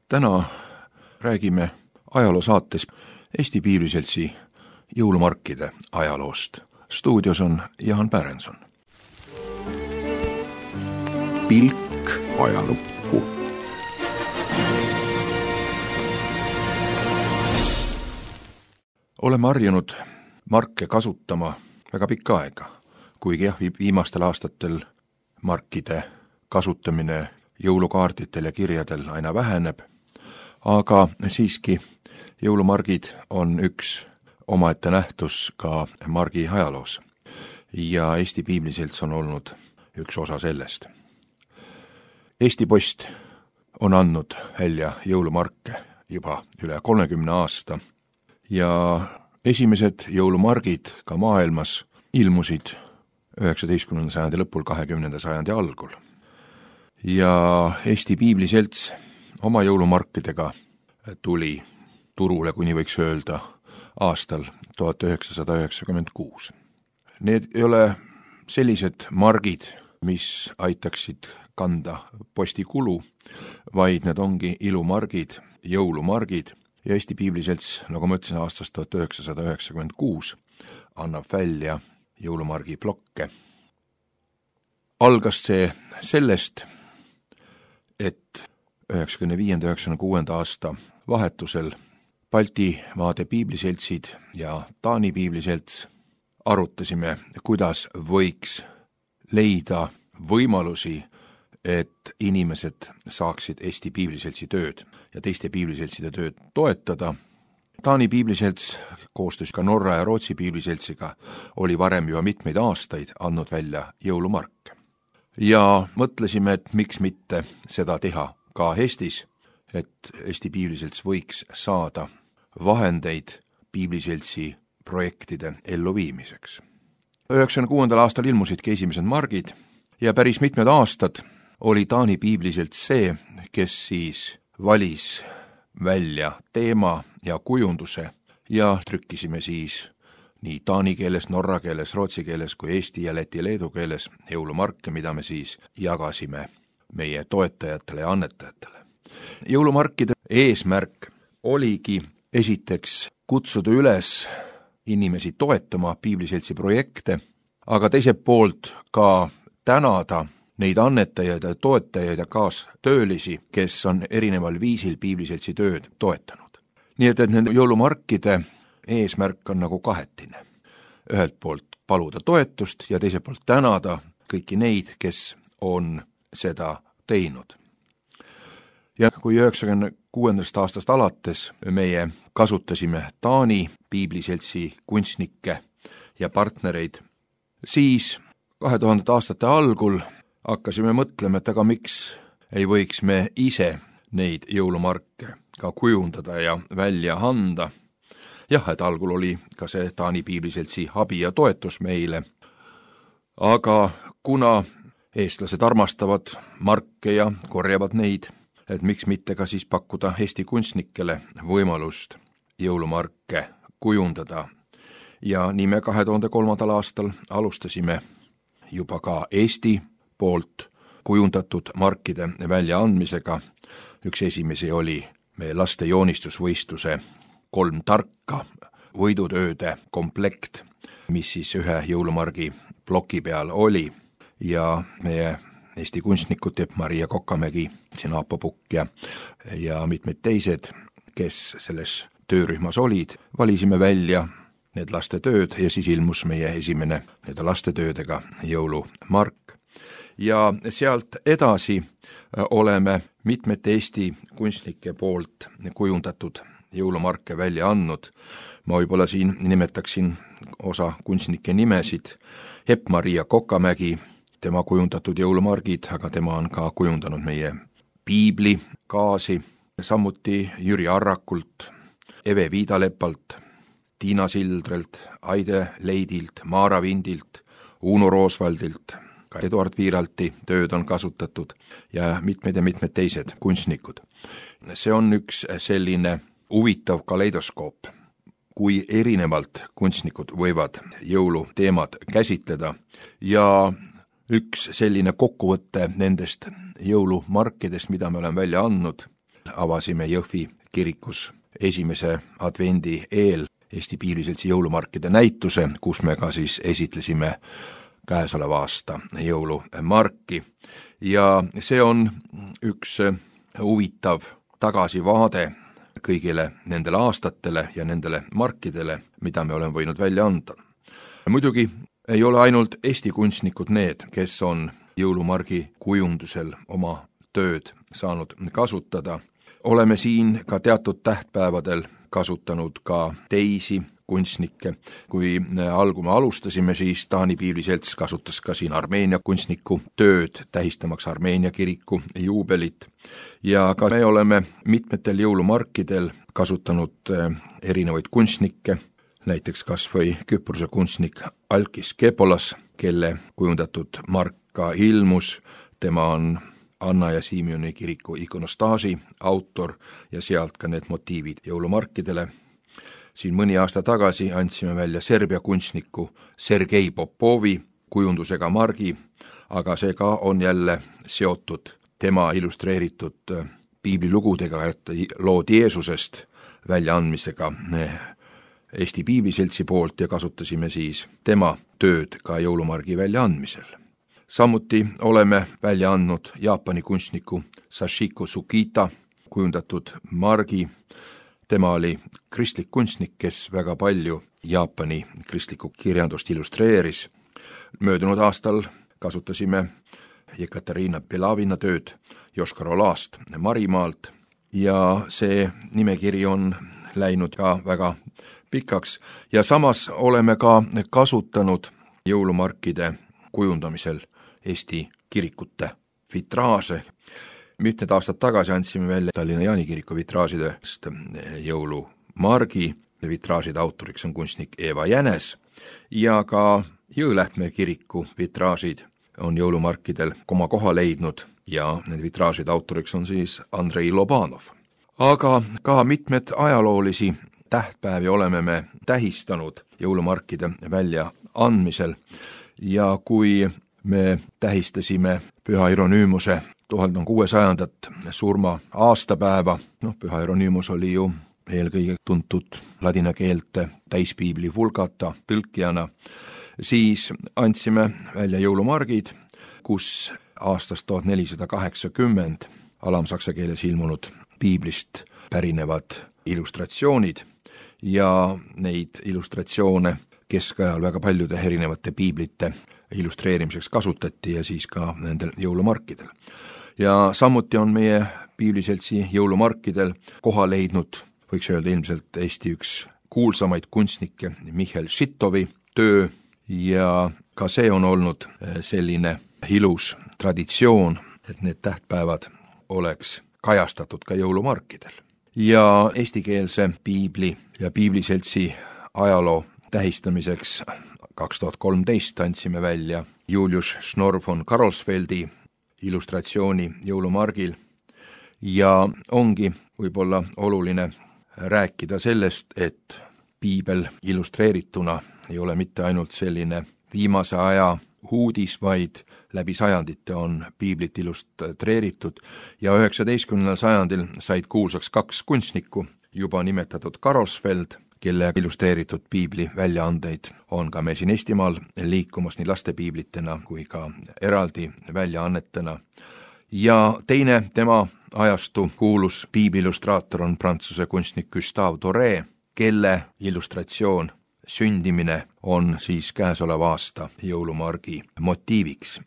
Täna räägime ajaloosaates Eesti Piibliseltsi jõulumarkide ajaloost. Stuudios on Jaan Pärenson. Pilk ajalukku. Oleme harjunud marke kasutama väga pikka aega, kuigi viimastel aastatel markide kasutamine jõulukaarditel ja kirjadel aina väheneb, aga siiski jõulumargid on üks omaette nähtus ka margi ajaloos ja Eesti Piibliselts on olnud üks osa sellest. Eesti Post on andnud välja jõulumarke juba üle 30 aasta ja esimesed jõulumargid ka maailmas ilmusid 19. sajandi lõpul, 20. sajandi algul. Ja Eesti Piibliselts oma jõulumarkidega tuli turule, kuni võiks öelda, aastal 1996. Need ei ole sellised margid, mis aitaksid kanda postikulu, vaid need ongi ilumargid, jõulumargid ja Eesti Piibliselts, nagu ma ütlesin, aastast 1996 annab välja jõulumargi plokke. Algas see sellest, et 1995-1996 aasta vahetusel Baltimaade Piibliseltsid ja Taani Piibliselts arutasime, kuidas võiks leida võimalusi, et inimesed saaksid Eesti Piibliseltsi tööd ja teiste piibliseltside tööd toetada. Taani Piibliselts koostöös ka Norra ja Rootsi Piibliseltsiga oli varem juba mitmeid aastaid andnud välja jõulumarke. Ja mõtlesime, et miks mitte seda teha ka Eestis, et Eesti Piibliselts võiks saada vahendeid Piibliseltsi projektide elluviimiseks. 1996. aastal ilmusidki esimesed margid ja päris mitmed aastad oli Taani Piibliselts see, kes siis valis välja teema ja kujunduse ja trükkisime siis nii taani keeles, norra keeles, rootsi keeles kui eesti ja läti leedu keeles jõulumarke, mida me siis jagasime meie toetajatele ja annetajatele. Jõulumarkide eesmärk oligi esiteks kutsuda üles inimesi toetama Piibliseltsi projekte, aga teiselt poolt ka tänada neid annetajaid ja toetajaid ja kaastöölisi, kes on erineval viisil Piibliseltsi tööd toetanud. Nii et nende jõulumarkide eesmärk on nagu kahetine. Ühelt poolt paluda toetust ja teiselt poolt tänada kõiki neid, kes on seda teinud. Ja kui 1996. aastast alates meie kasutasime Taani Piibliseltsi kunstnikke ja partnereid, siis 2000. aastate algul hakkasime mõtlema, et aga miks ei võiks me ise neid jõulumarke ka kujundada ja välja anda. Jah, et algul oli ka see Taani Piibliseltsi abi ja toetus meile, aga kuna eestlased armastavad marke ja korjavad neid, et miks mitte ka siis pakkuda Eesti kunstnikele võimalust jõulumarke kujundada. Ja nii me 2003. aastal alustasime juba ka Eesti poolt kujundatud markide väljaandmisega. Üks esimesi oli meie laste joonistusvõistluse 3 tarka võidutööde komplekt, mis siis ühe jõulumargi ploki peal oli ja meie Eesti kunstnikud Maria Kokamägi, Aapo Pukk ja mitmed teised, kes selles töörühmas olid, valisime välja need lastetööd ja siis ilmus meie esimene need lastetöödega jõulumark. Ja sealt edasi oleme mitmete Eesti kunstnike poolt kujundatud jõulumarke välja andnud. Ma võib-olla siin nimetaksin osa kunstnike nimesid. Maria Kokamägi, tema kujundatud jõulumargid, aga tema on ka kujundanud meie piibli kaasi, samuti Jüri Arrakult, Eve Viidalepalt, Tiina Sildrelt, Aide Leidilt, Maara Vindilt, Uno Roosvaldilt, ka Eduard Viiralti tööd on kasutatud ja mitmed teised kunstnikud. See on üks selline huvitav kaleidoskoop, kui erinevalt kunstnikud võivad jõuluteemad käsitleda ja üks selline kokkuvõte nendest jõulumarkidest, mida me oleme välja andnud, avasime Jõhvi kirikus esimese advendi eel Eesti Piibliseltsi jõulumarkide näituse, kus me ka siis esitlesime käesoleva aasta jõulumarki. Ja see on üks huvitav tagasivaade kõigile nendele aastatele ja nendele markidele, mida me oleme võinud välja anda. Muidugi ei ole ainult Eesti kunstnikud need, kes on jõulumargi kujundusel oma tööd saanud kasutada. Oleme siin ka teatud tähtpäevadel kasutanud ka teisi kunstnikke. Kui algume alustasime, siis Taani Piibliselts kasutas ka siin Armeenia kunstniku tööd, tähistamaks Armeenia kiriku juubelit. Ja ka me oleme mitmetel jõulumarkidel kasutanud erinevaid kunstnikke, näiteks kas või Küprose kunstnik Alkis Kepolas, kelle kujundatud mark ka ilmus. Tema on Anna ja Siimioni kiriku ikonostaasi autor ja sealt ka need motiivid jõulumarkidele. Siin mõni aasta tagasi andsime välja Serbia kunstniku Sergei Popovi kujundusega margi, aga see ka on jälle seotud tema illustreeritud piiblilugudega, et lood Jeesusest väljaandmisega Eesti Piibliseltsi poolt ja kasutasime siis tema tööd ka jõulumargi väljaandmisel. Samuti oleme välja andnud Jaapani kunstniku Sashiko Tsukita kujundatud margi. Tema oli kristlik kunstnik, kes väga palju Jaapani kristlikku kirjandust illustreeris. Möödunud aastal kasutasime Jekaterina Belavina tööd Joškar-Olast Marimaalt ja see nimekiri on läinud ka väga pikaks ja samas oleme ka kasutanud jõulumarkide kujundamisel Eesti kirikute vitraaže. Mitmed aastad tagasi andsime välja Tallinna Jaani kiriku vitraažidest jõulumargi. Vitraažide autoriks on kunstnik Eva Jänes ja ka Jõelähtme kiriku vitraažid on jõulumarkidel oma koha leidnud ja need vitraažide autoriks on siis Andrei Lobanov. Aga ka mitmed ajaloolisi tähtpäevi oleme me tähistanud jõulumarkide välja andmisel ja kui me tähistasime Püha Hieronymuse 1600. surma aastapäeva, Püha Hieronymus oli ju eelkõige tuntud ladina keelte täispiibli Vulgata tõlkijana, siis andsime välja jõulumargid, kus aastast 1480 alamsaksa keeles ilmunud piiblist pärinevad illustratsioonid ja neid illustratsioone keskajal väga paljude erinevate piiblite illustreerimiseks kasutati ja siis ka nendel jõulumarkidel. Ja samuti on meie Piibliseltsi jõulumarkidel koha leidnud, võiks öelda ilmselt Eesti üks kuulsamaid kunstnikke, Michel Šitovi töö ja ka see on olnud selline ilus traditsioon, et need tähtpäevad oleks kajastatud ka jõulumarkidel. Ja eestikeelse piibli ja Piibliseltsi ajaloo tähistamiseks 2013 andsime välja Julius Schnorr von Karolsfeldi illustratsiooni jõulumargil ja ongi võib-olla oluline rääkida sellest, et piibel illustreerituna ei ole mitte ainult selline viimase aja uudis, vaid läbi sajandite on piiblit illustreeritud ja 19. sajandil said kuulsaks kaks kunstnikku, juba nimetatud Karolsfeld, kelle illustreeritud piibli väljaandeid on ka meil siin Eestimaal liikumas nii lastepiiblitena kui ka eraldi väljaannetena. Ja teine tema ajastu kuulus piibliillustraator on prantsuse kunstnik Gustave Doré, kelle illustratsioon sündimine on siis käesoleva aasta jõulumargi motiiviks.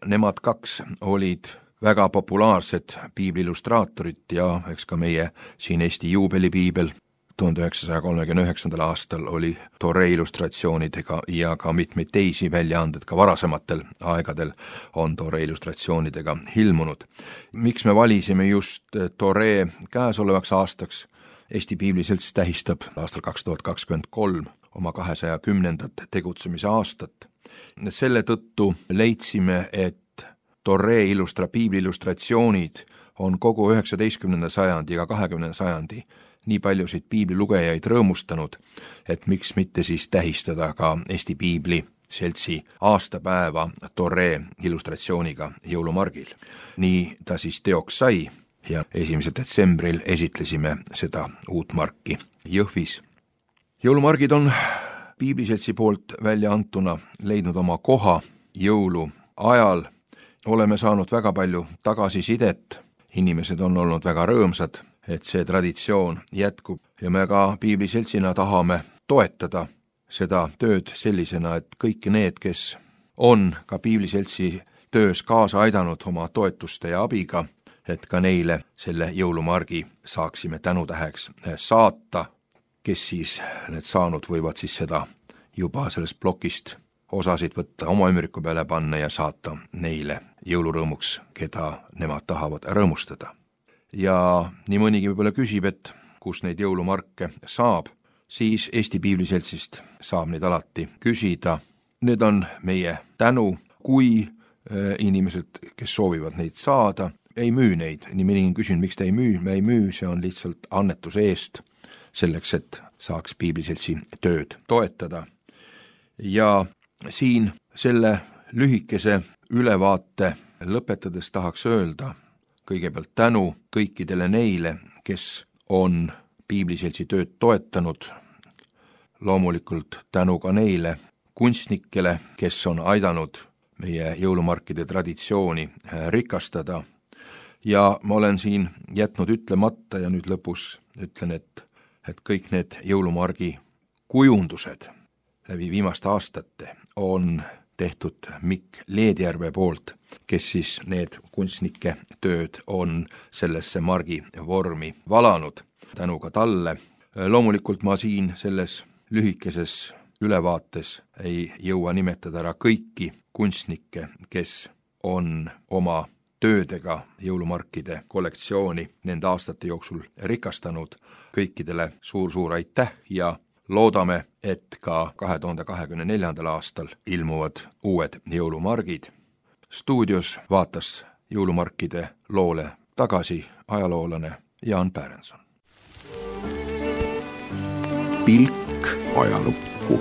Nemad kaks olid väga populaarsed piibliillustraatorid ja eks ka meie siin Eesti juubelipiibel 1939. aastal oli Doré illustratsioonidega ja ka mitmeid teisi väljaanded ka varasematel aegadel on Doré illustratsioonidega ilmunud. Miks me valisime just Doré käesolevaks aastaks? Eesti Piibliselts tähistab aastal 2023 oma 210. tegutsemise aastat. Selle tõttu leidsime, et Doré piibliillustratsioonid on kogu 19. sajandi ja 20. sajandi nii paljusid piiblilugejaid rõõmustanud, et miks mitte siis tähistada ka Eesti Piibliseltsi aastapäeva Doré illustratsiooniga jõulumargil. Nii ta siis teoks sai ja 1. detsembril esitlesime seda uut marki Jõhvis. Jõulumargid on Piibliseltsi poolt välja antuna leidnud oma koha jõulu ajal. Oleme saanud väga palju tagasisidet, inimesed on olnud väga rõõmsad, et see traditsioon jätkub ja me ka Piibliseltsina tahame toetada seda tööd sellisena, et kõik need, kes on ka Piibliseltsi töös kaasa aidanud oma toetuste ja abiga, et ka neile selle jõulumargi saaksime tänutäheks saata, kes siis need saanud võivad siis seda juba sellest plokist osasid võtta oma ümbriku peale panna ja saata neile jõulurõõmuks, keda nemad tahavad rõõmustada. Ja nii mõnigi võib-olla küsib, et kus neid jõulumarke saab, siis Eesti Piibliseltsist saab neid alati küsida. Need on meie tänu, kui inimesed, kes soovivad neid saada, ei müü neid. Nii mõnigi küsin, miks te ei müü? Me ei müü, see on lihtsalt annetuse eest, selleks, et saaks Piibliseltsi tööd toetada. Ja siin selle lühikese ülevaate lõpetades tahaks öelda kõigepealt tänu kõikidele neile, kes on Piibliseltsi tööd toetanud, loomulikult tänu ka neile kunstnikele, kes on aidanud meie jõulumarkide traditsiooni rikastada. Ja ma olen siin jätnud ütlemata ja nüüd lõpus ütlen, et kõik need jõulumargi kujundused läbi viimaste aastate on tehtud Mikk Leedjärve poolt, kes siis need kunstnike tööd on sellesse margi vormi valanud. Tänu ka talle. Loomulikult ma siin selles lühikeses ülevaates ei jõua nimetada ära kõiki kunstnikke, kes on oma töödega jõulumarkide kollektsiooni nende aastate jooksul rikastanud. Kõikidele suur aitäh ja loodame, et ka 2024. aastal ilmuvad uued jõulumargid. Stuudios vaatas jõulumarkide loole tagasi ajaloolane Jaan Pärenson. Pilk ajalukku.